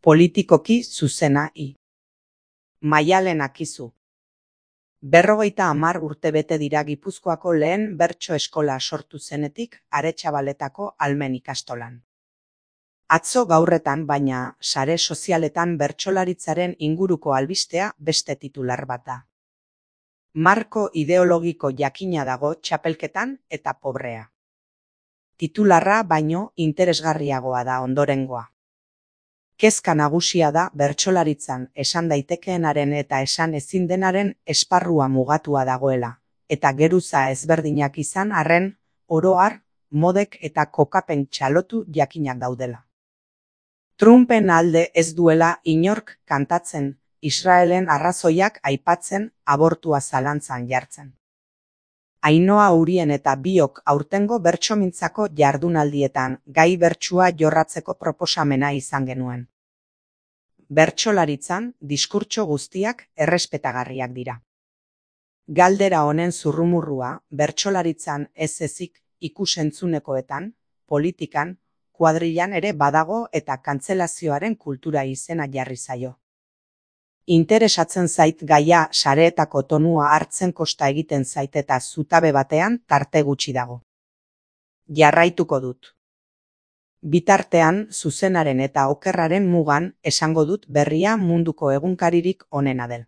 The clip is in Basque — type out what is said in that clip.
Politikoki zuzena Maialen Akizu. 50 urte bete dira Gipuzkoako lehen bertso eskola sortu zenetik Aretxabaletako Almen ikastolan. Atzo gaurretan baina sare sozialetan bertsolaritzaren inguruko albistea beste titular bat da. Marko ideologiko jakina dago txapelketan eta pobrea. Titularra baino interesgarriagoa da ondorengoa. Kezka nagusia da bertsolaritzan esan daitekeenaren eta esan ezin denaren esparrua mugatua dagoela, eta geruza ezberdinak izan arren, oro har, modek eta kokapen txalotu jakinak daudela. Trumpen alde ez duela inork kantatzen, Israelen arrazoiak aipatzen, abortua zalantzan jartzen. Ainhoa Urien eta biok aurtengo bertsomintzako jardunaldietan gai bertsua jorratzeko proposamena izan genuen. Bertsolaritzan diskurtso guztiak errespetagarriak dira. Galdera honen zurrumurrua bertsolaritzan ez ezik ikus-entzunekoetan, politikan, kuadrilan ere badago eta kantzelazioaren kultura izena jarri zaio. Interesatzen zait gaia sareetako tonua hartzen kosta egiten zait eta zutabe batean tarte gutxi dago. Jarraituko dut. Bitartean zuzenaren eta okerraren mugan esango dut berria munduko egunkaririk onena del.